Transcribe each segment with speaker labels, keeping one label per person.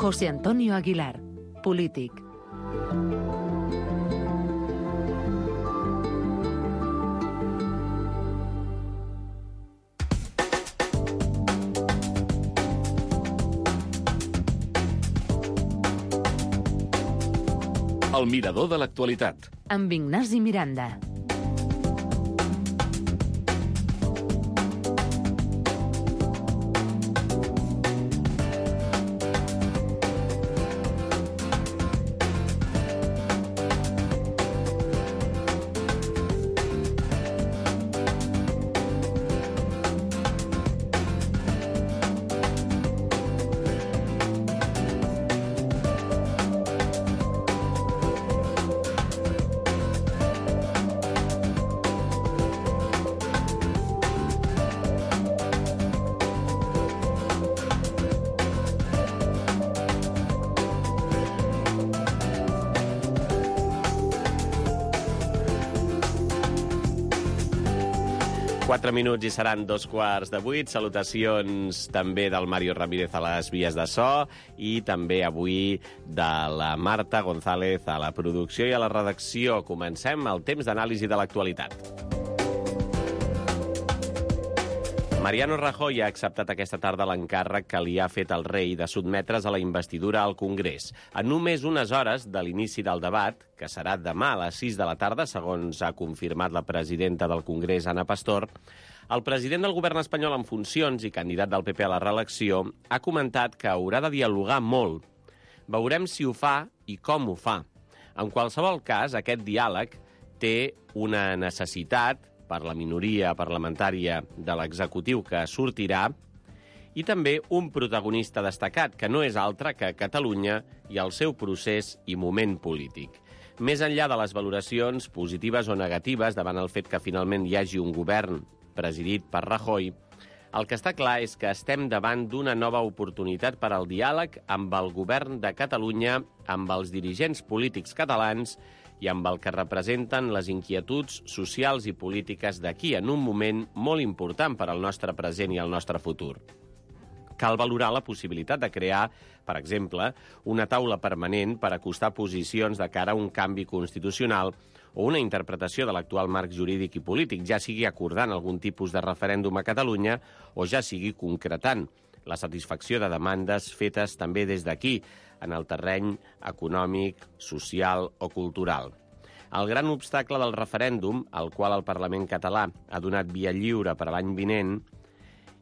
Speaker 1: José Antonio Aguilar, polític.
Speaker 2: El mirador de l'actualitat.
Speaker 1: Amb Ignasi Miranda.
Speaker 3: Minuts i seran 2:15. Salutacions també del Mario Ramírez a les vies de so i també avui de la Marta González a la producció i a la redacció. Comencem el temps d'anàlisi de l'actualitat. Mariano Rajoy ha acceptat aquesta tarda l'encàrrec que li ha fet el rei de sotmetre's a la investidura al Congrés. A només unes hores de l'inici del debat, que serà demà a les 6 de la tarda, segons ha confirmat la presidenta del Congrés, Ana Pastor, el president del govern espanyol en funcions i candidat del PP a la reelecció ha comentat que haurà de dialogar molt. Veurem si ho fa i com ho fa. En qualsevol cas, aquest diàleg té una necessitat per la minoria parlamentària de l'executiu que sortirà i també un protagonista destacat, que no és altre que Catalunya i el seu procés i moment polític. Més enllà de les valoracions positives o negatives davant el fet que finalment hi hagi un govern presidit per Rajoy, el que està clar és que estem davant d'una nova oportunitat per al diàleg amb el govern de Catalunya, amb els dirigents polítics catalans i amb el que representen les inquietuds socials i polítiques d'aquí en un moment molt important per al nostre present i el nostre futur. Cal valorar la possibilitat de crear, per exemple, una taula permanent per acostar posicions de cara a un canvi constitucional o una interpretació de l'actual marc jurídic i polític, ja sigui acordant algun tipus de referèndum a Catalunya o ja sigui concretant la satisfacció de demandes fetes també des d'aquí, en el terreny econòmic, social o cultural. El gran obstacle del referèndum, al qual el Parlament català ha donat via lliure per a l'any vinent,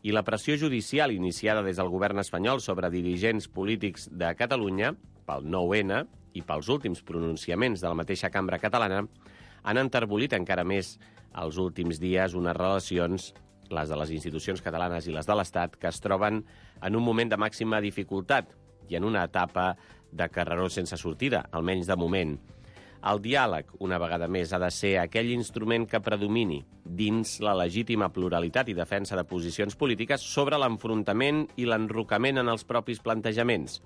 Speaker 3: i la pressió judicial iniciada des del govern espanyol sobre dirigents polítics de Catalunya, pel 9-N i pels últims pronunciaments de la mateixa cambra catalana, han enterbolit encara més els últims dies unes relacions, les de les institucions catalanes i les de l'Estat, que es troben en un moment de màxima dificultat i en una etapa de carreró sense sortida, almenys de moment. El diàleg, una vegada més, ha de ser aquell instrument que predomini dins la legítima pluralitat i defensa de posicions polítiques sobre l'enfrontament i l'enrocament en els propis plantejaments.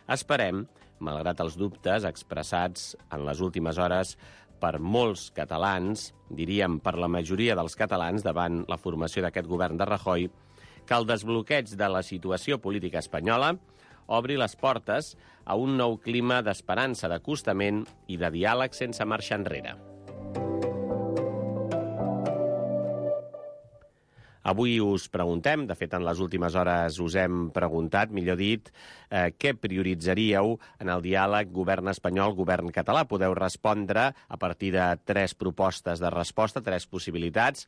Speaker 3: Esperem, malgrat els dubtes expressats en les últimes hores per molts catalans, diríem per la majoria dels catalans davant la formació d'aquest govern de Rajoy, que el desbloqueig de la situació política espanyola obri les portes a un nou clima d'esperança, d'acostament i de diàleg sense marxa enrere. Avui us preguntem, de fet en les últimes hores us hem preguntat, millor dit, què prioritzaríeu en el diàleg govern espanyol, govern català? Podeu respondre a partir de 3 propostes de resposta, 3 possibilitats.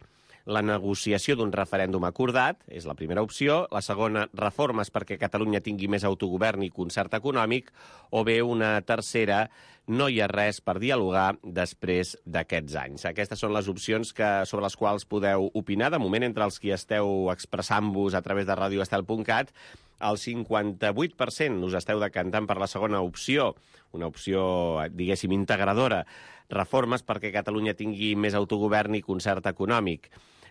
Speaker 3: La negociació d'un referèndum acordat és la primera opció. La segona, reformes perquè Catalunya tingui més autogovern i concert econòmic. O bé una tercera, no hi ha res per dialogar després d'aquests anys. Aquestes són les opcions sobre les quals podeu opinar. De moment, entre els qui esteu expressant-vos a través de radioestel.cat, el 58% us esteu decantant per la segona opció, una opció, diguéssim, integradora. Reformes perquè Catalunya tingui més autogovern i concert econòmic.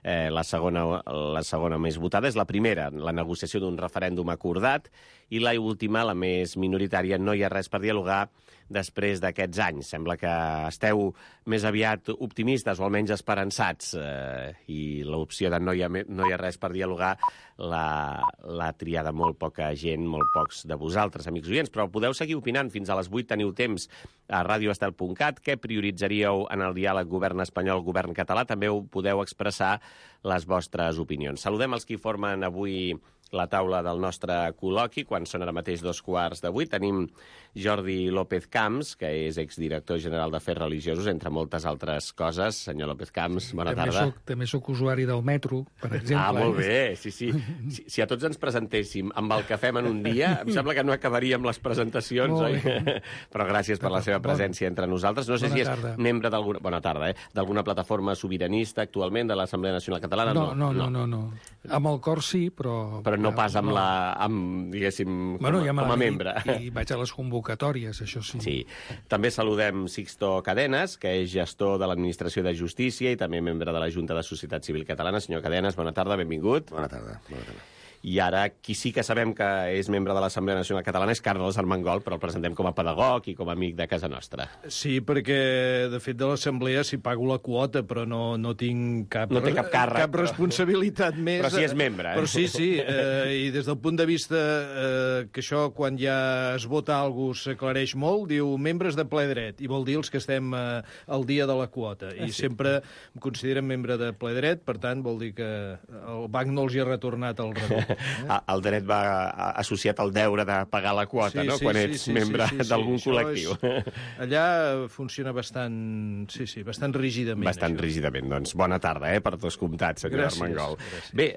Speaker 3: La segona més votada és la primera, la negociació d'un referèndum acordat, i la última, la més minoritària, no hi ha res per dialogar després d'aquests anys? Sembla que esteu més aviat optimistes o almenys esperançats i l'opció de no hi ha res per dialogar l'ha triada molt poca gent, molt pocs de vosaltres, amics oients, però podeu seguir opinant. Fins a les 8 teniu temps a radioestel.cat. Què prioritzaríeu en el diàleg govern espanyol-govern català? També ho podeu expressar les vostres opinions. Saludem els qui formen avui la taula del nostre col·loqui. Quan són ara mateix 2:15, tenim Jordi López Camps, que és exdirector general d'Afers Religiosos, entre moltes altres coses. Senyor López Camps, bona tarda.
Speaker 2: També soc usuari del metro, per exemple.
Speaker 3: Ah, molt bé, sí. Si a tots ens presentéssim amb el que fem en un dia, em sembla que no acabaríem les presentacions, oi? Però gràcies per la seva presència entre nosaltres. No sé si és membre d'alguna... Bona tarda, d'alguna plataforma sobiranista actualment de l'Assemblea Nacional Catalana.
Speaker 2: No. Amb el cor sí, però
Speaker 3: no pas diguéssim, com a membre.
Speaker 2: I vaig a les convocatòries, això sí.
Speaker 3: Sí. També saludem Sixto Cadenas, que és gestor de l'Administració de Justícia i també membre de la Junta de Societat Civil Catalana. Senyor Cadenas, bona tarda, benvingut.
Speaker 4: Bona tarda.
Speaker 3: I ara, qui sí que sabem que és membre de l'Assemblea Nacional Catalana és Carles Armengol, però el presentem com a pedagog i com a amic de casa nostra.
Speaker 5: Sí, perquè, de fet, de l'Assemblea s'hi pago la quota, però no tinc cap
Speaker 3: càrrec,
Speaker 5: cap responsabilitat més.
Speaker 3: Però sí és membre,
Speaker 5: Però sí, i des del punt de vista que això, quan ja es vota alguna cosa, s'aclareix molt, diu membres de ple dret, i vol dir els que estem al dia de la quota. I sempre em consideren membre de ple dret, per tant, vol dir que el banc no els hi ha retornat el rebut.
Speaker 3: El dret va associat al deure de pagar la quota, no? Quan ets membre d'algun col·lectiu.
Speaker 5: Allà funciona bastant rígidament.
Speaker 3: Bastant rígidament, doncs. Bona tarda, per descomptat, senyor Armengol. Bé,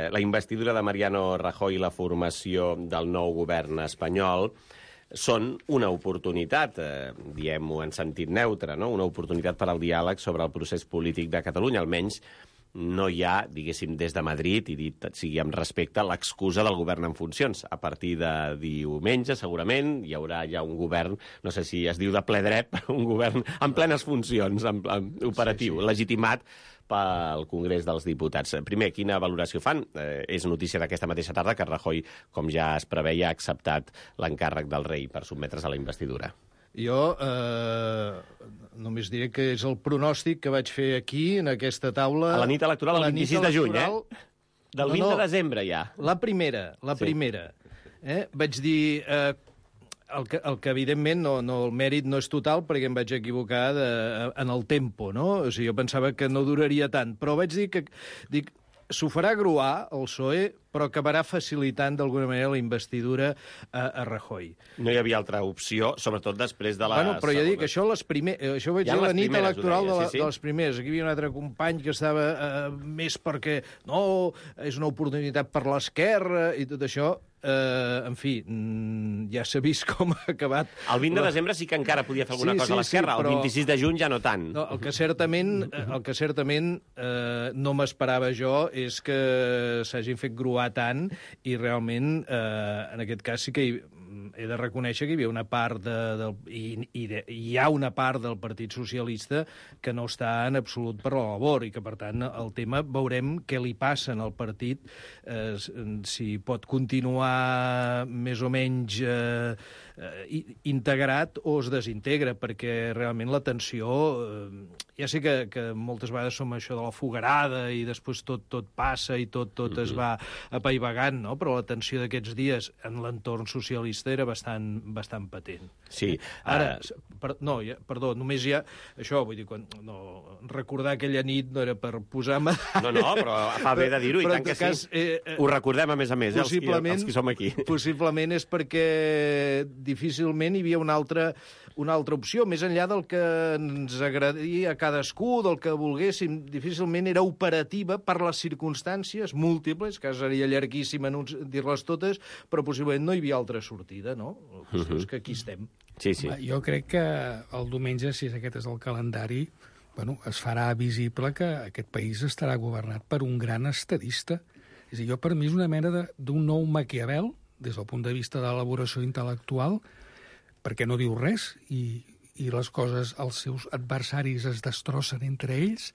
Speaker 3: la investidura de Mariano Rajoy i la formació del nou govern espanyol són una oportunitat, diem-ho en sentit neutre, no? Una oportunitat per al diàleg sobre el procés polític de Catalunya, almenys no hi ha, diguéssim, des de Madrid, i dit sigui amb respecte, l'excusa del govern en funcions. A partir de diumenge, segurament, hi haurà ja un govern, no sé si es diu de ple dret, un govern en plenes funcions, operatiu, legitimat pel Congrés dels Diputats. Primer, quina valoració fan? És notícia d'aquesta mateixa tarda que Rajoy, com ja es preveia, ha acceptat l'encàrrec del rei per sotmetre's a la investidura.
Speaker 5: Jo només diré que és el pronòstic que vaig fer aquí, en aquesta taula...
Speaker 3: A la nit electoral, el 26 de juny, Del 20 de desembre, ja.
Speaker 5: La primera. Vaig dir... El que evidentment, el mèrit no és total, perquè em vaig equivocar en el tempo, no? O sigui, jo pensava que no duraria tant, però vaig dir que... S'ho farà gruar, el PSOE, però acabarà facilitant d'alguna manera la investidura a Rajoy.
Speaker 3: No hi havia altra opció, sobretot després de la...
Speaker 5: Però ja dic, això ho vaig dir la nit electoral de les primeres. Aquí hi havia un altre company que estava més perquè és una oportunitat per l'esquerra i tot això. En fi, ja s'ha vist com ha acabat.
Speaker 3: El 20 de desembre sí que encara podia fer alguna cosa a l'esquerra, el 26 de juny ja no tant.
Speaker 5: No, el que certament no m'esperava jo és que s'hagin fet gruar tant i realment, en aquest cas sí que he de reconèixer que hi havia una part hi ha una part del Partit Socialista que no està en absolut per la labor i que, per tant, el tema veurem què li passa en el partit, si pot continuar més o menys integrat o es desintegra, perquè realment la tensió... Ja sé que moltes vegades som això de la fogarada i després tot passa i tot es va apaivagant, no? Però la tensió d'aquests dies en l'entorn socialista era bastant patent.
Speaker 3: Sí.
Speaker 5: Ara, perdó, només hi ha... Això, vull dir, recordar aquella nit no era per posar-me...
Speaker 3: No, però fa bé de dir-ho, i tant que sí. Ho recordem, a més, els qui som aquí.
Speaker 5: Possiblement és perquè difícilment hi havia una altra opció, més enllà del que ens agradaria a cadascú, del que volguéssim, difícilment era operativa per les circumstàncies múltiples, que seria llarguíssim dir-les totes, però possiblement no hi havia altra sortida, no? La qüestió és que aquí estem.
Speaker 3: Sí.
Speaker 2: Jo crec que el diumenge, si aquest és el calendari, es farà visible que aquest país estarà governat per un gran estadista. És a dir, per mi és una mena d'un nou Maquiavel, des del punt de vista de l'elaboració intel·lectual, perquè no diu res i les coses, els seus adversaris es destrossen entre ells,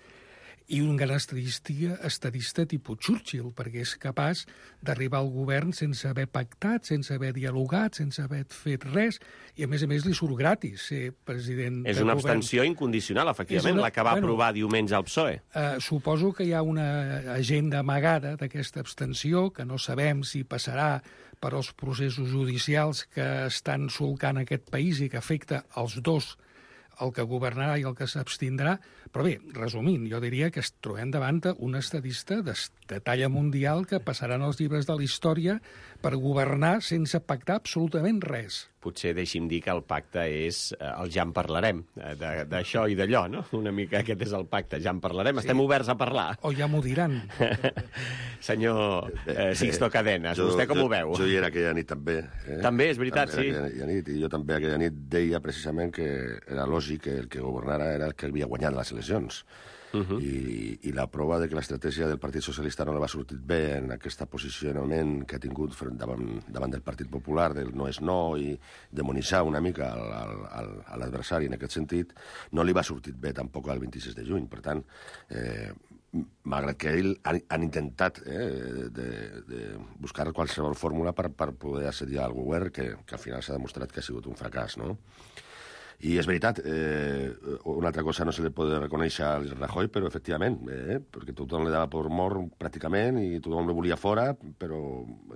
Speaker 2: i un gran estadista tipus Churchill, perquè és capaç d'arribar al govern sense haver pactat, sense haver dialogat, sense haver fet res, i a més li surt gratis ser president
Speaker 3: És
Speaker 2: del
Speaker 3: una
Speaker 2: govern.
Speaker 3: abstenció incondicional, efectivament, la que va aprovar diumenge el PSOE.
Speaker 2: Suposo que hi ha una agenda amagada d'aquesta abstenció, que no sabem si passarà per als processos judicials que estan solcant aquest país i que afecta els dos, el que governarà i el que s'abstindrà. Però bé, resumint, jo diria que es trobem davant un estadista de talla mundial que passaran els llibres de la història per governar sense pactar absolutament res.
Speaker 3: Potser deixi'm dir que el pacte és el ja en parlarem, d'això i d'allò, no? Una mica aquest és el pacte, ja en parlarem. Estem oberts a parlar.
Speaker 2: O ja m'ho diran.
Speaker 3: Senyor Sixto Cadenas, vostè com ho veu?
Speaker 4: Jo hi era aquella nit també.
Speaker 3: També, és veritat, sí.
Speaker 4: Aquella nit, i jo també aquella nit deia precisament que era lògic que el que governara era el que havia guanyat les eleccions. I la prova de que l'estratègia del Partit Socialista no li va sortir bé en aquest posicionament que ha tingut davant del Partit Popular, del no és no, i demonitzar una mica a l'adversari en aquest sentit, no li va sortir bé tampoc el 26 de juny. Per tant, malgrat que ells han intentat de buscar qualsevol fórmula per poder accedir al govern, que al final s'ha demostrat que ha sigut un fracàs, no? I és veritat, una altra cosa no se li pot reconèixer al Rajoy, però efectivament, perquè tothom li dava per mort pràcticament i tothom el volia fora, però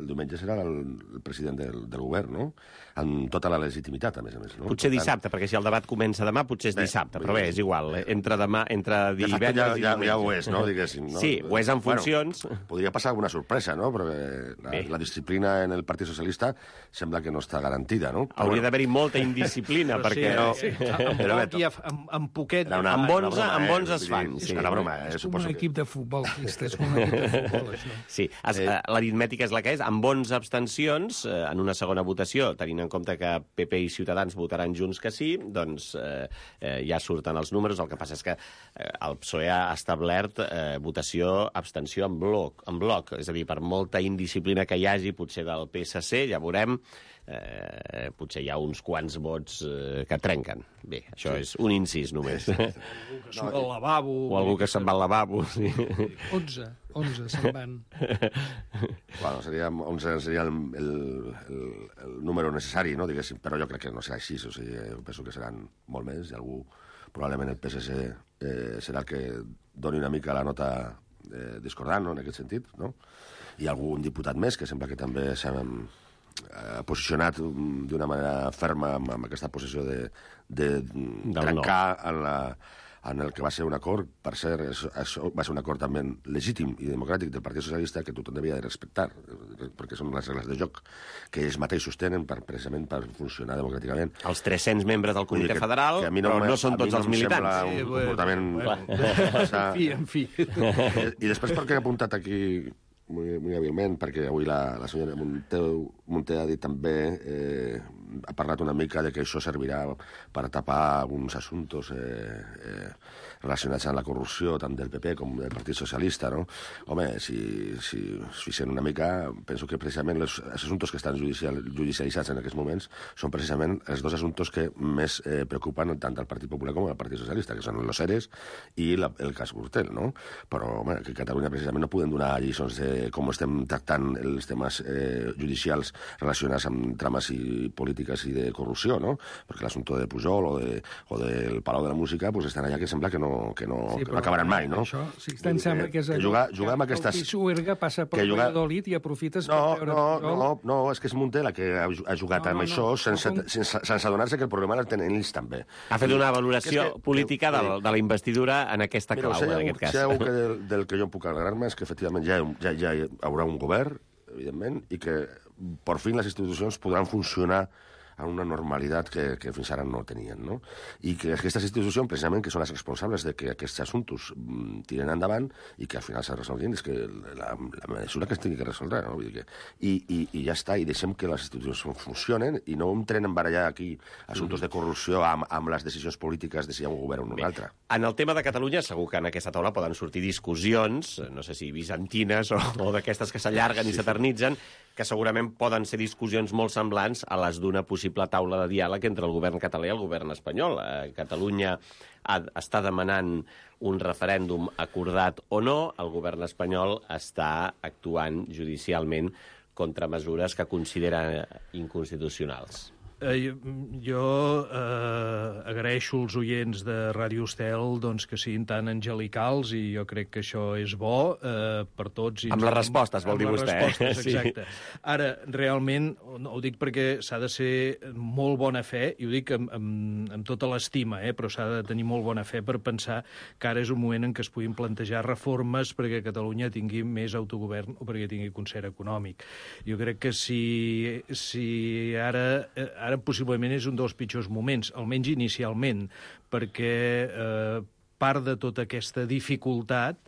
Speaker 4: el diumenge serà el president del govern, no? Amb tota la legitimitat, a més. No?
Speaker 3: Potser dissabte, perquè si el debat comença demà, potser és dissabte, però bé, és igual. Entre divendres i diumenge.
Speaker 4: Ja ho és, no? Diguéssim, no?
Speaker 3: Sí, ho és en funcions.
Speaker 4: Bueno, podria passar alguna sorpresa, no? Perquè la disciplina en el Partit Socialista sembla que no està garantida, no?
Speaker 3: Hauria d'haver-hi molta indisciplina, perquè...
Speaker 5: Sí, amb poquet...
Speaker 3: Amb 11 es fan.
Speaker 4: És una broma,
Speaker 2: és com un equip de futbol, és com un equip de futbol, això.
Speaker 3: Sí, l'aritmètica és la que és. Amb 11 abstencions, en una segona votació, tenint en compte que PP i Ciutadans votaran junts que sí, doncs ja surten els números. El que passa és que el PSOE ha establert votació-abstenció en bloc. És a dir, per molta indisciplina que hi hagi, potser del PSC, ja veurem, potser hi ha uns quants vots que trenquen. Bé, això és un incís només.
Speaker 5: Algú que surt al lavabo...
Speaker 3: O algú que se'n va al lavabo, sí.
Speaker 2: 11 se'n van.
Speaker 4: Bueno, 11 seria el número necessari, no, diguéssim, però jo crec que no serà així, o sigui, jo penso que seran molt més, i algú, probablement el PSC, serà el que doni una mica la nota discordant, no, en aquest sentit, no? I algun diputat més, que sembla que també s'ha posicionat d'una manera ferma amb aquesta posició de trencar en el que va ser un acord, per cert, això va ser un acord també legítim i democràtic del Partit Socialista que tothom devia de respectar, perquè són les regles de joc que ells mateixos tenen precisament per funcionar democràticament.
Speaker 3: Els 300 membres del Comitè Federal, però no són tots els militants.
Speaker 4: Un comportament...
Speaker 5: En fi.
Speaker 4: I després perquè he apuntat aquí muy hàbilment, perquè avui la senyora Munté ha dit també, ha parlat una mica de que això servirà per tapar alguns assumptes relacionats amb la corrupció tant del PP com del Partit Socialista, no? Home, si fixen una mica, penso que precisament els assumptes que estan judicialitzats en aquests moments són precisament els dos assumptes que més preocupen tant al Partit Popular com al Partit Socialista, que són los ERES i el cas Gürtel, no? Però, home, que a Catalunya precisament no podem donar lliçons de com estem tractant els temes judicials relacionats amb trames i polítiques i de corrupció, no? Perquè l'assumpte de Pujol o del Palau de la Música pues estan allà que sembla que no acabaran mai, no?
Speaker 2: Això, sí, em sembla que és
Speaker 4: jugar amb aquestes...
Speaker 2: El Pisuerga passa per Valladolid i aprofites per veure Pujol.
Speaker 4: No, és que és Munté la que ha jugat amb això sense adonar-se que el problema el tenen ells també.
Speaker 3: Ha fet una valoració política de la investidura en aquesta clau, en aquest cas.
Speaker 4: Si hi ha algú del que jo puc alegrar-me és que efectivament ja hi haurà un govern, evidentment, i que per fi les institucions podran funcionar en una normalitat que fins ara no tenien, no? I que aquestes institucions, precisament, que són les responsables de que aquests assumptes tiren endavant i que al final s'ha resolguin, és que la mesura que es tingui que resoldre, no? Vull dir que, i ja està, i deixem que les institucions funcionen i no entrem en barallar aquí assumptes de corrupció amb les decisions polítiques de si hi ha un govern o un altre.
Speaker 3: En el tema de Catalunya, segur que en aquesta taula poden sortir discussions, no sé si bizantines o d'aquestes que s'allarguen i s'eternitzen. que segurament poden ser discussions molt semblants a les d'una possible taula de diàleg entre el govern català i el govern espanyol. Catalunya està demanant un referèndum acordat o no, el govern espanyol està actuant judicialment contra mesures que considera inconstitucionals.
Speaker 5: Jo agraeixo als oients de Ràdio Estel doncs, que siguin tan angelicals i jo crec que això és bo per tots.
Speaker 3: Amb les respostes, vol dir vostè.
Speaker 5: Amb les respostes, exacte. Sí. Ara, realment, ho dic perquè s'ha de ser molt bona fe, i ho dic amb tota l'estima, però s'ha de tenir molt bona fe per pensar que ara és un moment en què es puguin plantejar reformes perquè Catalunya tingui més autogovern o perquè tingui concert econòmic. Jo crec que si ara possiblement és un dels pitjors moments, almenys inicialment, perquè part de tota aquesta dificultat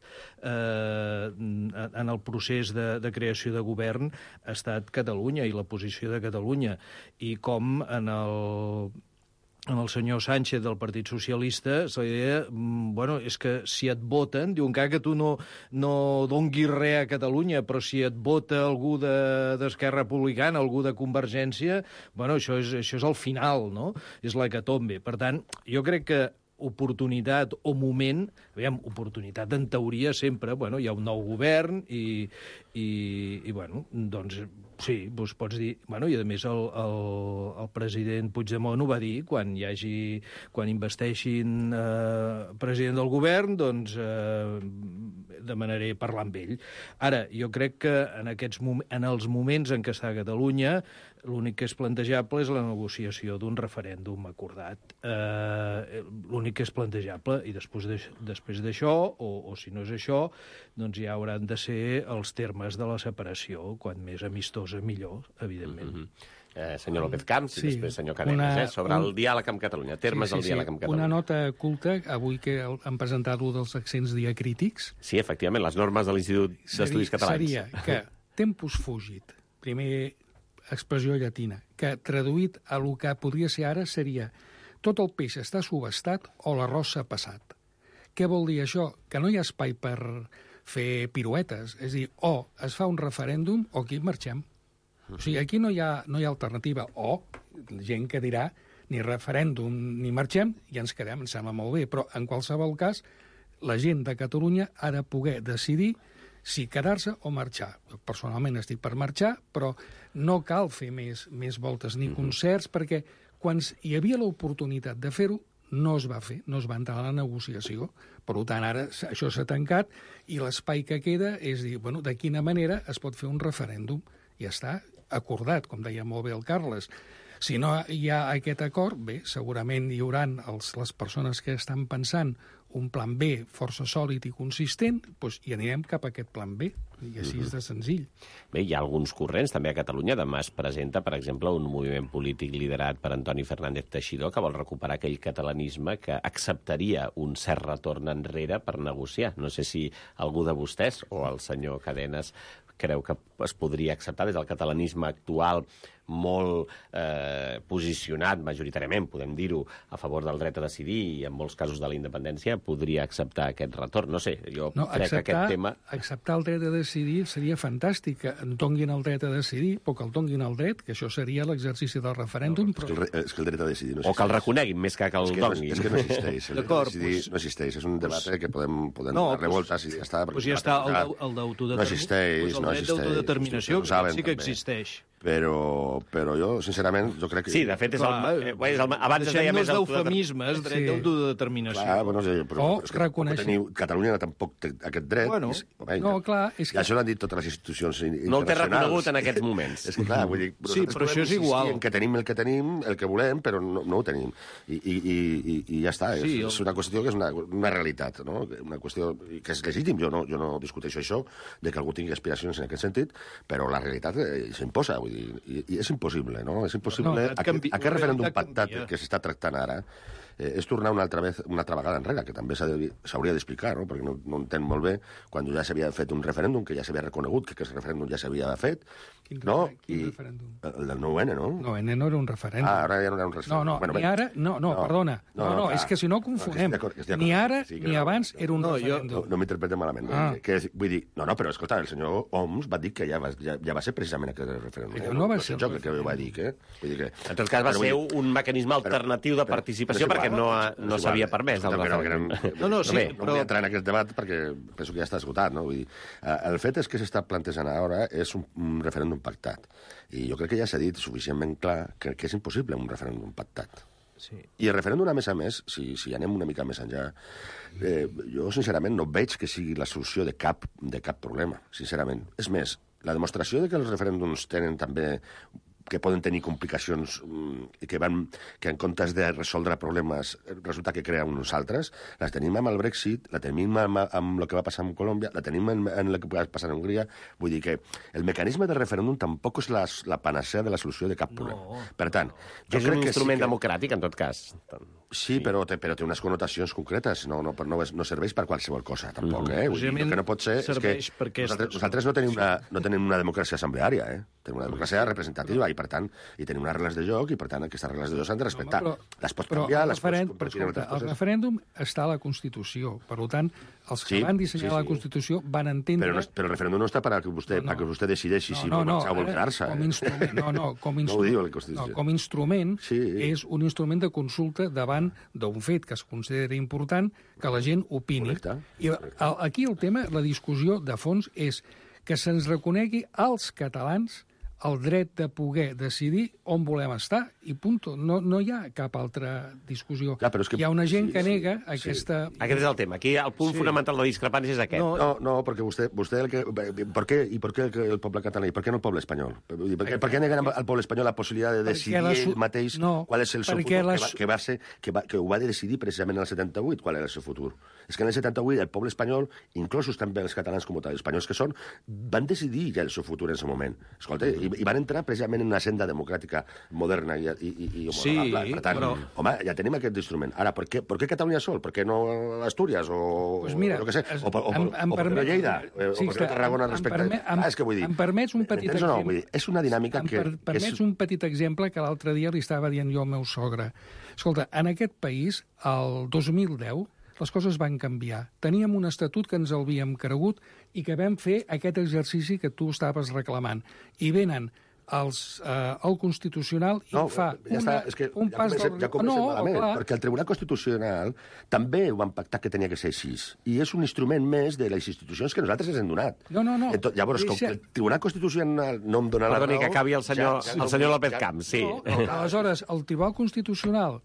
Speaker 5: en el procés de creació de govern ha estat Catalunya i la posició de Catalunya. I com en el senyor Sánchez del Partit Socialista la idea, és que si et voten, diuen que tu no donguis res a Catalunya, però si et vota algú d'Esquerra Republicana, algú de Convergència, això és el final, no? És l'hecatombe. Per tant, jo crec que oportunitat o moment, oportunitat en teoria sempre, hi ha un nou govern i doncs sí, pots dir... I a més el president Puigdemont ho va dir, quan investeixin president del govern, doncs demanaré parlar amb ell. Ara, jo crec que en els moments en què està Catalunya, l'únic que és plantejable és la negociació d'un referèndum acordat. L'únic que és plantejable, i després d'això, o si no és això, doncs ja hauran de ser els termes de la separació, quan més amistosa millor, evidentment.
Speaker 3: Senyor López Camps i després senyor Cadenes, sobre el diàleg amb Catalunya, termes del diàleg amb Catalunya.
Speaker 2: Una nota culta, avui que han presentat un dels accents diacrítics.
Speaker 3: Sí, efectivament, les normes de l'Institut d'Estudis Catalans.
Speaker 2: Seria que tempus fugit, primer expressió llatina, que traduït a el que podria ser ara seria tot el peix està subestat o l'arròs s'ha passat. Què vol dir això? Que no hi ha espai per fer piruetes. És a dir, o es fa un referèndum o aquí marxem. O sigui, aquí no hi ha alternativa. O gent que dirà ni referèndum ni marxem i ens quedem, ens sembla molt bé. Però, en qualsevol cas, la gent de Catalunya ha de poder decidir si quedar-se o marxar. Jo personalment estic per marxar, però no cal fer més voltes ni concerts, perquè quan hi havia l'oportunitat de fer-ho, no es va fer, no es va entrar a la negociació. Per tant, ara això s'ha tancat i l'espai que queda és dir, de quina manera es pot fer un referèndum. Ja està acordat, com deia molt bé el Carles. Si no hi ha aquest acord, bé, segurament hi haurà les persones que estan pensant un plan B força sòlid i consistent, doncs hi anirem cap a aquest plan B, i així és de senzill.
Speaker 3: Bé, hi ha alguns corrents també a Catalunya. Demà es presenta, per exemple, un moviment polític liderat per Antoni Fernández Teixidor que vol recuperar aquell catalanisme que acceptaria un cert retorn enrere per negociar. No sé si algú de vostès o el senyor Cadenes creu que es podria acceptar des del catalanisme actual molt posicionat majoritàriament, podem dir-ho, a favor del dret a decidir i en molts casos de la independència, podria acceptar aquest retorn. No sé, jo crec que aquest tema...
Speaker 2: Acceptar el dret a decidir seria fantàstic, que en donguin el dret a decidir, però que el donguin el dret, que això seria l'exercici del referèndum.
Speaker 4: És que el dret a decidir no existeix.
Speaker 3: O que el reconeguin més que el donguin.
Speaker 4: És que no existeix. El dret a decidir no existeix. És un debat que podem anar a revoltes i ja està.
Speaker 5: Doncs ja està el d'autodeterminació.
Speaker 4: No existeix, no existeix.
Speaker 5: El dret d'autodeterminació sí que existeix.
Speaker 4: Però jo, sincerament, jo crec que...
Speaker 3: Sí, de fet, abans es deia més
Speaker 5: d'eufemismes, dret d'autodeterminació.
Speaker 4: Clar, però Catalunya tampoc té aquest dret.
Speaker 2: No, clar, és que...
Speaker 4: I això l'han dit totes les institucions internacionals.
Speaker 3: No el té reconegut en aquests moments.
Speaker 4: És que, clar, vull dir...
Speaker 5: Sí, però això és igual.
Speaker 4: Que tenim el que tenim, el que volem, però no ho tenim. I ja està. És una qüestió que és una realitat, no? Una qüestió que és legítim. Jo no discuteixo això, de que algú tingui aspiracions en aquest sentit, però la realitat s'imposa. I és impossible, no? És impossible. Aquest referèndum pactat que s'està tractant ara és tornar una altra vegada enrere, que també s'hauria d'explicar, no? Perquè no entenc molt bé quan ja s'havia fet un referèndum, que ja s'havia reconegut que aquest referèndum ja s'havia fet,
Speaker 2: Quin referèndum?
Speaker 4: El del 9-N, no?
Speaker 2: 9-N no era un referèndum.
Speaker 4: Ara ja no era un referèndum.
Speaker 2: Ni ara... Perdona. No, és que si no confonem. Ni ara ni abans era un referèndum.
Speaker 4: No m'interpretem malament. Vull dir, però escolta, el senyor Homs va dir que ja va ser precisament aquest referèndum.
Speaker 2: No va ser
Speaker 4: jo que ho va dir, Vull dir que...
Speaker 3: En tot cas, va ser un mecanisme alternatiu de participació perquè no s'havia permès el referèndum.
Speaker 4: No vull entrar en aquest debat perquè penso que ja està esgotat, no? Vull dir, el fet és que s'està plantejant ara és un referèndum pactat. I jo crec que ja s'ha dit suficientment clar que és impossible un referèndum pactat.
Speaker 5: Sí.
Speaker 4: I el referèndum, a més, si anem una mica més enllà, jo, sincerament, no veig que sigui la solució de cap problema, sincerament. És més, la demostració de que els referèndums tenen també que poden tenir complicacions i que en comptes de resoldre problemes resulta que creen uns altres, les tenim amb el Brexit, la tenim amb el que va passar amb Colòmbia, la tenim en el que va passar en Hongria. Vull dir que el mecanisme de referèndum tampoc és la panacea de la solució de cap problema. Per tant, jo crec que
Speaker 3: és un instrument democràtic, en tot cas.
Speaker 4: Sí, però té unes connotacions concretes. No serveix per qualsevol cosa, tampoc. Vull dir, el que no pot ser és que nosaltres no tenim una democràcia assembleària, tenim una democràcia representativa i, per tant, tenim unes regles de joc i, per tant, aquestes regles de joc s'han de respectar. Les pots canviar, les pots convertir en altres coses.
Speaker 2: El referèndum està a la Constitució. Per tant, els que van dissenyar la Constitució van entendre...
Speaker 4: Però el referèndum no està perquè vostè decideixi si vol marxar o vol quedar-se.
Speaker 2: Com a instrument és un instrument de consulta davant d'un fet que es considera important que la gent opini. I aquí el tema, la discussió de fons és que se'ns reconegui als catalans el dret de poder decidir on volem estar, i punto. No hi ha cap altra discussió. Hi ha una gent que nega aquesta...
Speaker 3: Aquest és el tema. Aquí el punt fonamental de la discrepància és aquest.
Speaker 4: No, perquè vostè ¿Por qué el poble català? I per què no el poble espanyol? Per què neguen al poble espanyol la possibilitat de decidir ell mateix qual és el seu futur? Que ho va decidir precisament en el 78, qual era el seu futur. És que en el 78 el poble espanyol, inclosos també els catalans com els espanyols que són, van decidir ja el seu futur en aquest moment. Escolta, i van entrar precisament en una senda democràtica moderna i homologable. Per tant, home, ja tenim aquest instrument. Ara, per què Catalunya sol? Per què no Astúries? O per què no Lleida? O per què no Tarragona respecte... És que vull dir...
Speaker 2: Em permets un petit exemple?
Speaker 4: És una dinàmica que...
Speaker 2: Em permets un petit exemple que l'altre dia li estava dient jo al meu sogre. Escolta, en aquest país, el 2010, les coses van canviar. Teníem un estatut que ens havíem cregut i que vam fer aquest exercici que tu estaves reclamant. I venen el Constitucional i fa un pas...
Speaker 4: Ja comencem malament, perquè el Tribunal Constitucional també ho van pactar que tenia que ser així. I és un instrument més de les institucions que nosaltres ens hem donat.
Speaker 2: No.
Speaker 4: Llavors, com que el Tribunal Constitucional no em dona la raó...
Speaker 3: Perdoni, que acabi el senyor López Camps, sí.
Speaker 2: Aleshores, el Tribunal Constitucional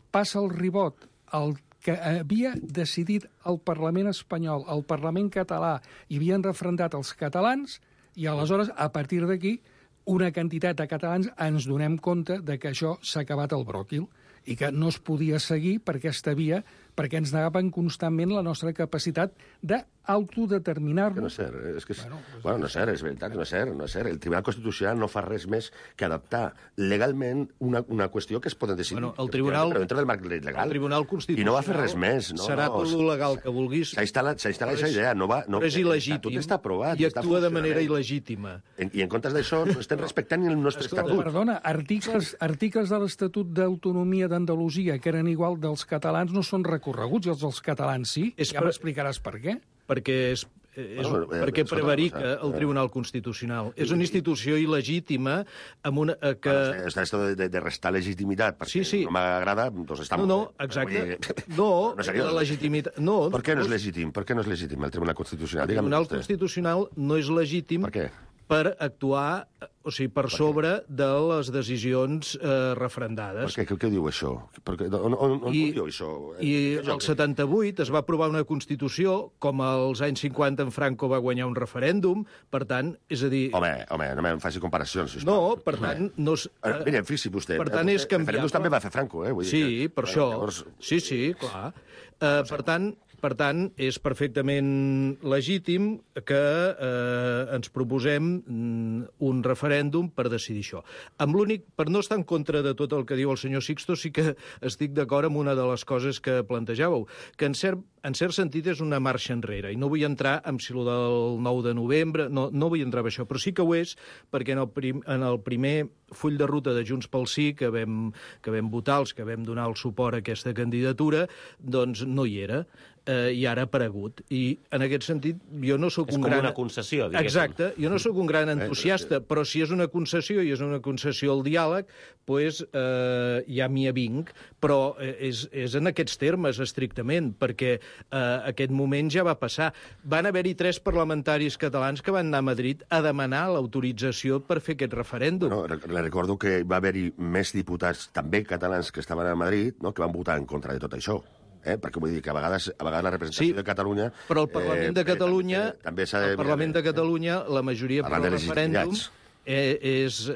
Speaker 2: passa el ribot al que havia decidit el Parlament espanyol, el Parlament català, i havien refrendat els catalans, i aleshores, a partir d'aquí, una quantitat de catalans ens donem compte de que això s'ha acabat el bròquil i que no es podia seguir per aquesta via perquè ens negaven constantment la nostra capacitat d'autodeterminar-nos.
Speaker 4: No és cert, no és cert, és veritat, no és cert. El Tribunal Constitucional no fa res més que adaptar legalment una qüestió que es poden decidir.
Speaker 5: El Tribunal...
Speaker 4: Però dintre del marc legal.
Speaker 5: El Tribunal Constitucional...
Speaker 4: I no va fer res més.
Speaker 5: Serà tot lo legal que vulguis.
Speaker 4: S'ha instal·lat aquesta idea.
Speaker 5: Però és il·legítim.
Speaker 4: Tot està aprovat.
Speaker 5: I actua de manera il·legítima.
Speaker 4: I en comptes d'això no estem respectant el nostre estatut.
Speaker 2: Perdona, articles de l'Estatut d'Autonomia d'Andalusia que eren igual dels catalans no són recorreguts, i els dels catalans sí. Ja m'explicaràs per què.
Speaker 5: Perquè prevarica el Tribunal Constitucional. És una institució il·legítima amb una...
Speaker 4: Esto de restar legitimitat, perquè no m'agrada, doncs està molt bé.
Speaker 5: No, exacte. No, la legitimitat...
Speaker 4: Per què no és legítim? Per què no és legítim el Tribunal Constitucional?
Speaker 5: El Tribunal Constitucional no és legítim...
Speaker 4: Per què?
Speaker 5: Per actuar, o sigui, per sobre de les decisions refrendades.
Speaker 4: Què diu això? On diu això?
Speaker 5: I el 78 es va aprovar una Constitució, com als anys 50 en Franco va guanyar un referèndum, per tant, és a dir...
Speaker 4: Home, no em faci comparacions, sisplau.
Speaker 5: No, per tant, no...
Speaker 4: Mira, fixi vostè.
Speaker 5: Per tant, és canviable.
Speaker 4: Referèndums també va fer Franco,
Speaker 5: Sí, per això. Sí, clar. Per per tant, és perfectament legítim que ens proposem un referèndum per decidir això. Amb l'únic, per no estar en contra de tot el que diu el senyor Sixto, sí que estic d'acord amb una de les coses que plantejàveu, que en cert sentit és una marxa enrere, i no vull entrar en si el del 9 de novembre, no vull entrar en això, però sí que ho és, perquè en el primer full de ruta de Junts pel Sí, que vam votar, els que vam donar el suport a aquesta candidatura, doncs no hi era, i ara ha aparegut. I en aquest sentit, jo no sóc
Speaker 3: és
Speaker 5: un
Speaker 3: com
Speaker 5: gran...
Speaker 3: una concessió, diguéssim.
Speaker 5: Exacte, jo no sóc un gran entusiasta, però si és una concessió i és una concessió al diàleg, doncs ja m'hi avinc, però és en aquests termes, estrictament, perquè aquest moment ja va passar. Van haver-hi 3 parlamentaris catalans que van anar a Madrid a demanar l'autorització per fer aquest referèndum.
Speaker 4: No, recordo que va haver-hi més diputats, també catalans, que estaven a Madrid, no?, que van votar en contra de tot això. Perquè vull dir que a vegades la representació de Catalunya...
Speaker 5: Però el Parlament de Catalunya,
Speaker 4: també s'ha de...
Speaker 5: el Parlament de Catalunya, la majoria per al referèndum és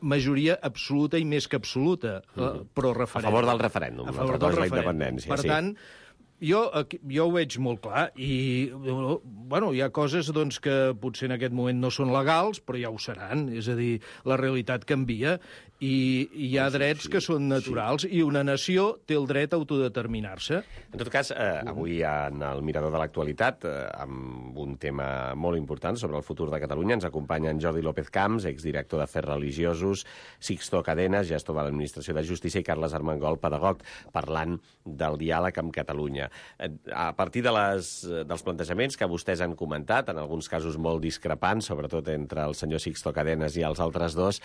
Speaker 5: majoria absoluta i més que absoluta, però referèndum.
Speaker 3: A favor del referèndum,
Speaker 5: a favor del
Speaker 3: la independència.
Speaker 5: Per tant, jo ho veig molt clar, i bueno, hi ha coses doncs, que potser en aquest moment no són legals, però ja ho seran, és a dir, la realitat canvia, i hi ha drets que són naturals, i una nació té el dret a autodeterminar-se.
Speaker 3: En tot cas, avui en el Mirador de l'Actualitat, amb un tema molt important sobre el futur de Catalunya, ens acompanya en Jordi López Camps, exdirector d'Afers Religiosos, Sixto Cadenes, gestor de l'Administració de Justícia, i Carles Armengol, pedagog, parlant del diàleg amb Catalunya. A partir dels plantejaments que vostès han comentat, en alguns casos molt discrepants, sobretot entre el senyor Sixto Cadenes i els altres dos,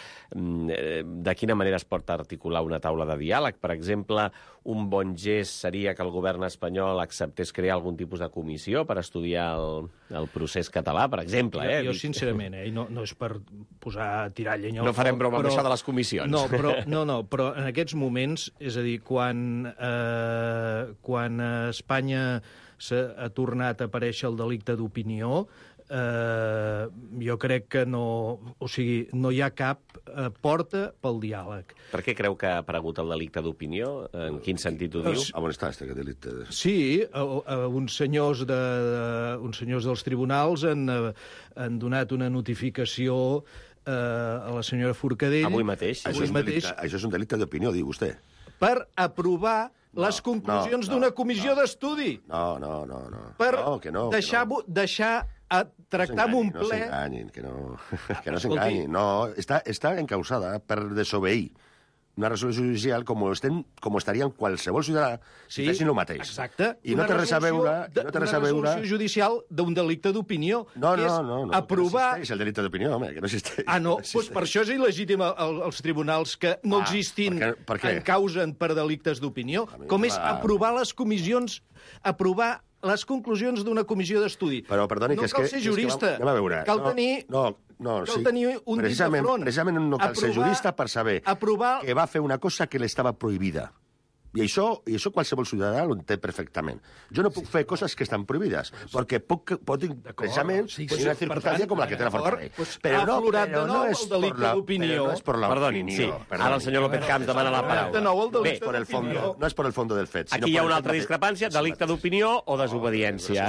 Speaker 3: de quina manera es pot articular una taula de diàleg? Per exemple, un bon gest seria que el govern espanyol acceptés crear algun tipus de comissió per estudiar el procés català, per exemple.
Speaker 5: Jo sincerament, no és per tirar llenya al foc.
Speaker 3: No farem broma amb això de les comissions.
Speaker 5: No, però en aquests moments, és a dir, quan a Espanya ha tornat a aparèixer el delicte d'opinió, jo crec que no hi ha cap porta pel diàleg.
Speaker 3: Per què creu que ha aparegut el delicte d'opinió? En quin sentit ho diu?
Speaker 4: On està aquest delicte?
Speaker 5: Sí, uns senyors dels tribunals han donat una notificació a la senyora Forcadell.
Speaker 3: Avui mateix.
Speaker 4: Això és un delicte d'opinió, diu vostè.
Speaker 5: Per aprovar les conclusions d'una comissió d'estudi.
Speaker 4: No.
Speaker 5: Per
Speaker 4: deixar
Speaker 5: tractar amb un ple...
Speaker 4: Que no s'enganyin. No, està encausada per desobeir una resolució judicial com estaria en qualsevol ciutadà si fessin el mateix.
Speaker 5: Exacte.
Speaker 4: I no té res a veure...
Speaker 5: Una resolució judicial d'un delicte d'opinió.
Speaker 4: No.
Speaker 5: Aprovar...
Speaker 4: No existeix el delicte d'opinió, home, que no existeix.
Speaker 5: Doncs per això és il·legítim als tribunals que no existin en causen per delictes d'opinió. Com és aprovar les comissions... Aprovar les conclusions d'una comissió d'estudi.
Speaker 4: Però, perdoni,
Speaker 5: no cal ser jurista.
Speaker 4: Anem a veure.
Speaker 5: Cal tenir un dit de front.
Speaker 4: Precisament no cal ser jurista per saber que va fer una cosa que l'estava prohibida. I això qualsevol ciutadà ho entén perfectament. Jo no puc fer coses que estan prohibides, perquè pot precisament una circumstància com la que té la Forcadell.
Speaker 5: Però no és el delicte d'opinió.
Speaker 3: Perdoni, sí. Ara el senyor López Camps demana la paraula.
Speaker 5: Bé,
Speaker 4: no és per el fons del fet.
Speaker 3: Aquí hi ha una altra discrepància, delicte d'opinió o desobediència.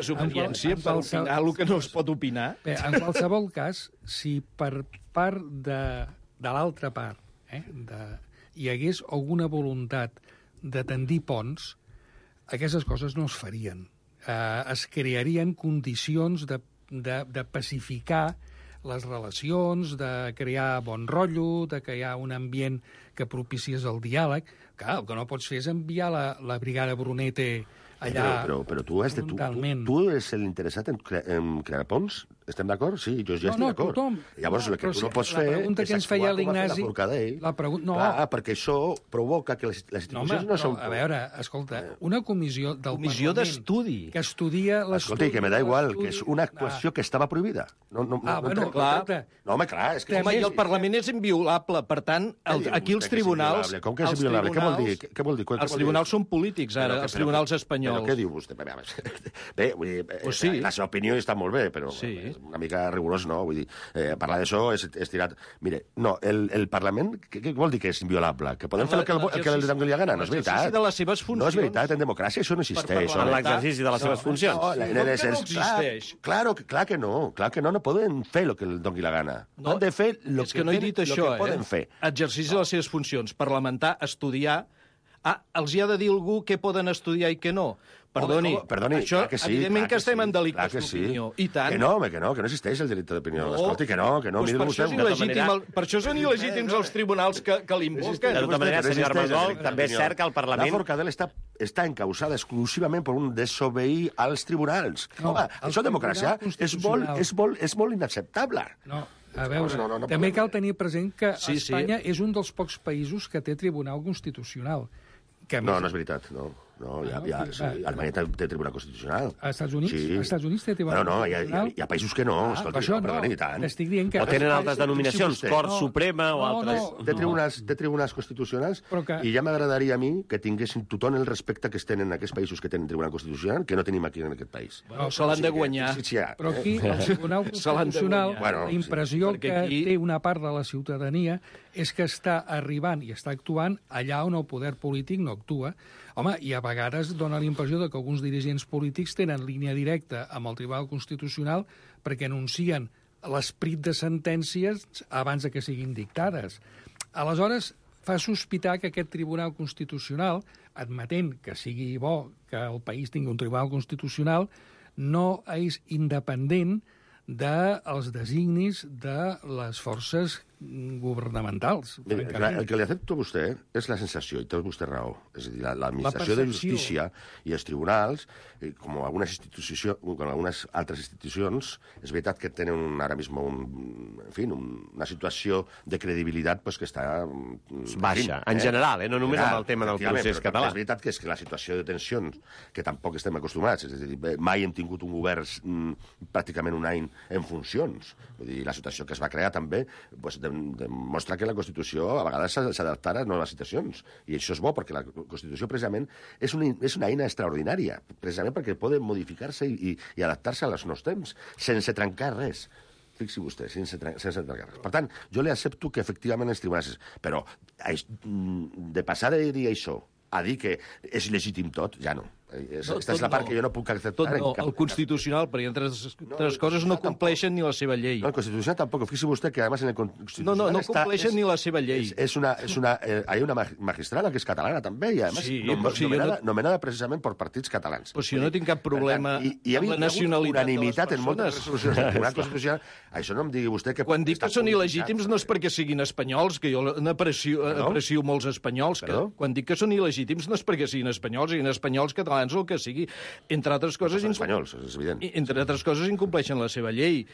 Speaker 5: Desobediència per opinar el que no es pot opinar.
Speaker 2: Bé, en qualsevol cas, si per part de l'altra part, hi hagués alguna voluntat de tendir ponts, aquestes coses no es farien. Es crearien condicions de pacificar les relacions, de crear bon rotllo, de crear un ambient que propicies el diàleg. Clar, el que no pots fer és enviar la brigada Brunete allà
Speaker 4: però tu eres l'interessat en crear ponts? Estem d'acord? Sí, jo ja estic d'acord. Llavors, el que tu no pots fer
Speaker 2: és actuar com ha fet la
Speaker 4: Forcadell. Clar, perquè això provoca que les institucions no són...
Speaker 2: A veure, escolta, una comissió del Parlament
Speaker 5: d'estudi
Speaker 2: que estudia l'estudi...
Speaker 4: Escolta, que me da igual, que és una actuació que estava prohibida.
Speaker 5: Clar.
Speaker 4: No, home, clar, és que...
Speaker 5: I el Parlament és inviolable, per tant, aquí els tribunals...
Speaker 4: Com que és inviolable? Què vol dir?
Speaker 5: Els tribunals són polítics, ara, els tribunals espanyols.
Speaker 4: Però què diu vostè? Bé, vull dir, la seva opinió està molt bé, però... una mica rigorós, no? Vull dir, parlar d'això és tirat... Mire, no, el Parlament, què vol dir que és inviolable? Que podem fer el que li doni la gana? No és veritat.
Speaker 5: De les seves funcions.
Speaker 4: No és veritat, en democràcia això no existeix.
Speaker 3: En l'exercici de les seves funcions.
Speaker 5: No existeix.
Speaker 4: Clar que no poden fer el que els doni la gana. Han de fer el
Speaker 5: que no he dit això,
Speaker 4: poden fer.
Speaker 5: Exercici de les seves funcions, parlamentar, estudiar... els hi ha de dir algú què poden estudiar i què no. Perdoni, això,
Speaker 4: que sí,
Speaker 5: evidentment que estem en delictes d'opinió. I tant.
Speaker 4: Que no existeix el delicte d'opinió. Escolti, que no.
Speaker 5: Doncs per això són il·legítims els tribunals que l'invoquen.
Speaker 3: De tota manera, senyor Armengol, també és cert que el Parlament...
Speaker 4: La Forcadell està encausada exclusivament per un desobeir als tribunals. Home, això de democràcia és molt inacceptable.
Speaker 2: No. A veure, també cal tenir present que Espanya és un dels pocs països que té Tribunal Constitucional.
Speaker 4: No és veritat, no. Alemanya té Tribunal Constitucional.
Speaker 2: A Estats Units?
Speaker 4: Sí.
Speaker 2: Als Estats Units té Tribunal
Speaker 4: Constitucional? Hi ha països que no.
Speaker 2: Per això no. Estic dient que...
Speaker 3: O tenen altres denominacions, Cort Suprema o altres...
Speaker 4: Té tribunals constitucionals i ja m'agradaria a mi que tinguessin tothom el respecte que es tenen en aquests països que tenen Tribunal Constitucional que no tenim aquí en aquest país.
Speaker 5: Se l'han de guanyar.
Speaker 2: Però aquí, el Tribunal Constitucional, la impressió que té una part de la ciutadania és que està arribant i està actuant allà on el poder polític no actua. Home, i a vegades dona la impressió que alguns dirigents polítics tenen línia directa amb el Tribunal Constitucional perquè anuncien l'esperit de sentències abans de que siguin dictades. Aleshores, fa sospitar que aquest Tribunal Constitucional, admetent que sigui bo que el país tingui un Tribunal Constitucional, no és independent dels designis de les forces governamentals.
Speaker 4: El que li accepto a vostè és la sensació, i té vostè raó. És a dir, l'administració de justícia i els tribunals, com algunes altres institucions, és veritat que tenen ara mismo una situació de credibilitat que està...
Speaker 3: Baixa, en general, no només amb el tema del procés català.
Speaker 4: És veritat que la situació de tensions, que tampoc estem acostumats, és a dir, mai hem tingut un govern pràcticament un any en funcions. Vull dir, la situació que es va crear també demostra que la Constitució a vegades s'adapta a noves situacions. I això és bo, perquè la Constitució precisament és una eina extraordinària, precisament perquè pot modificar-se i adaptar-se als nous temps, sense trencar res. Fixi vostè, sense trencar res. Per tant, jo li accepto que efectivament els tribunals... Però de passar de dir això a dir que és legítim tot, ja no. Aquesta és la part que jo no puc acceptar.
Speaker 5: El Constitucional, perquè entre altres coses no compleixen ni la seva llei.
Speaker 4: No, el Constitucional tampoc. Fixi vostè que, además, en el Constitucional...
Speaker 5: No compleixen ni la seva llei.
Speaker 4: Hay una magistrada que és catalana, també, i, además, nomenada precisament per partits catalans.
Speaker 5: Però si jo no tinc cap problema amb la nacionalitat de les persones.
Speaker 4: En moltes resolucions del Tribunal Constitucional, això no em digui vostè que...
Speaker 5: Quan dic que són il·legítims no és perquè siguin espanyols, que jo n'aprecio molts espanyols. Quan dic que són il·legítims no és perquè siguin espanyols, catalans, o el que sigui. Entre altres coses...
Speaker 4: Són espanyols, és evident.
Speaker 5: Entre altres coses, incompleixen la seva llei.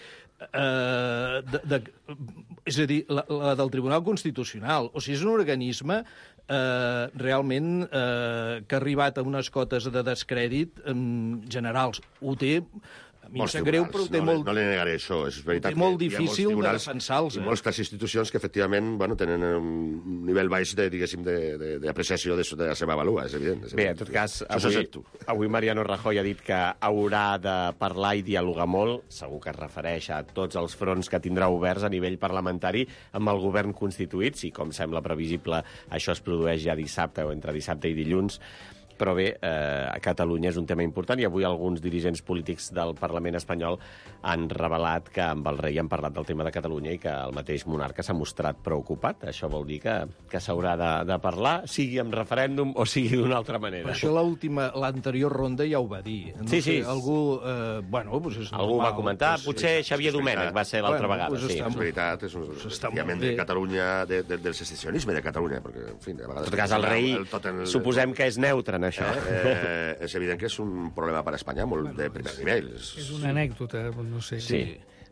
Speaker 5: És a dir, la del Tribunal Constitucional. O sigui, és un organisme realment que ha arribat a unes cotes de descrèdit generals. Ho té... A mi em sap greu, però ho té molt...
Speaker 4: No li negaré això, és veritat.
Speaker 5: Té molt difícil de defensar-los.
Speaker 4: I moltes institucions que, efectivament, tenen un nivell baix, diguéssim, d'apreciació de la seva valua, és evident.
Speaker 3: Bé, en tot cas, avui Mariano Rajoy ha dit que haurà de parlar i dialogar molt, segur que es refereix a tots els fronts que tindrà oberts a nivell parlamentari amb el govern constituït, si, com sembla previsible, això es produeix ja dissabte o entre dissabte i dilluns. Però bé, a Catalunya és un tema important i avui alguns dirigents polítics del Parlament espanyol han revelat que amb el rei han parlat del tema de Catalunya i que el mateix monarca s'ha mostrat preocupat. Això vol dir que s'haurà de parlar, sigui amb referèndum o sigui d'una altra manera.
Speaker 5: Per això l'anterior ronda ja ho va dir.
Speaker 3: Sí.
Speaker 5: Algú
Speaker 3: va comentar, potser Xavier Domènech va ser l'altra vegada.
Speaker 4: És veritat, és un obviament de Catalunya, del secessionisme de Catalunya, perquè, en fi, a vegades...
Speaker 3: En tot cas, el rei suposem que és neutre en això.
Speaker 4: És evident que és un problema per a Espanya molt de primer nivell.
Speaker 2: És una anècdota, no sé.
Speaker 3: Sí.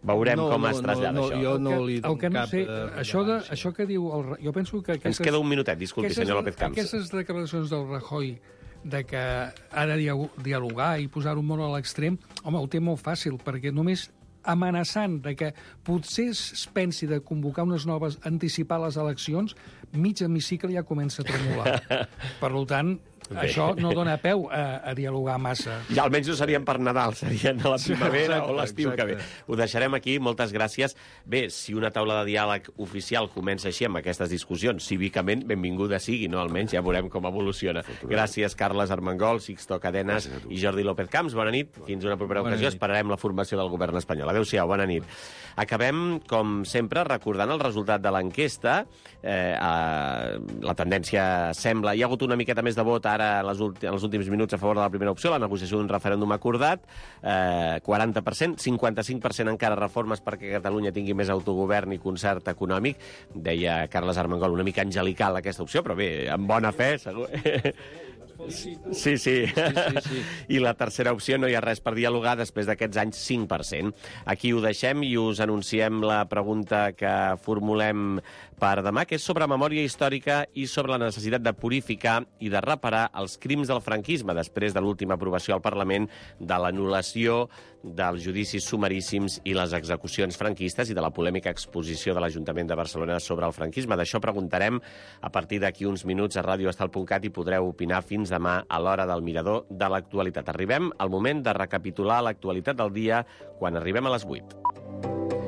Speaker 3: Veurem com es trasllada això.
Speaker 5: Jo no li dono cap...
Speaker 2: Això que diu... Jo penso que...
Speaker 3: Ens queda un minutet, disculpi, senyor López Camps.
Speaker 2: Aquestes declaracions del Rajoy de que ha de dialogar i posar-ho molt a l'extrem, home, ho té molt fàcil, perquè només amenaçant de que potser es pensi de convocar unes noves, anticipar les eleccions, mig hemicicle ja comença a tremolar. Per tant, això no dona peu a dialogar massa.
Speaker 3: Ja almenys no serien per Nadal, serien a la primavera o l'estiu que ve. Ho deixarem aquí, moltes gràcies. Bé, si una taula de diàleg oficial comença així amb aquestes discussions, cívicament, benvinguda sigui, no? Almenys ja veurem com evoluciona. Gràcies, Carles Armengol, Sixto Cadenes i Jordi López Camps. Bona nit. Fins una propera ocasió. Esperarem la formació del govern espanyol. Adéu-siau, bona nit. Acabem, com sempre, recordant el resultat de l'enquesta. La tendència sembla... Hi ha hagut una miqueta més de vot ara en els últims minuts a favor de la primera opció, la negociació d'un referèndum acordat, 40%, 55% encara reformes perquè Catalunya tingui més autogovern i concert econòmic. Deia Carles Armengol, una mica angelical aquesta opció, però bé, amb bona fe, segur. Sí. I la tercera opció, no hi ha res per dialogar després d'aquests anys, 5%. Aquí ho deixem i us anunciem la pregunta que formulem per demà, que és sobre memòria històrica i sobre la necessitat de purificar i de reparar els crims del franquisme després de l'última aprovació al Parlament de l'anul·lació dels judicis sumaríssims i les execucions franquistes i de la polèmica exposició de l'Ajuntament de Barcelona sobre el franquisme. D'això preguntarem a partir d'aquí uns minuts a radioestal.cat i podreu opinar fins demà a l'hora del mirador de l'actualitat. Arribem al moment de recapitular l'actualitat del dia quan arribem a les 8.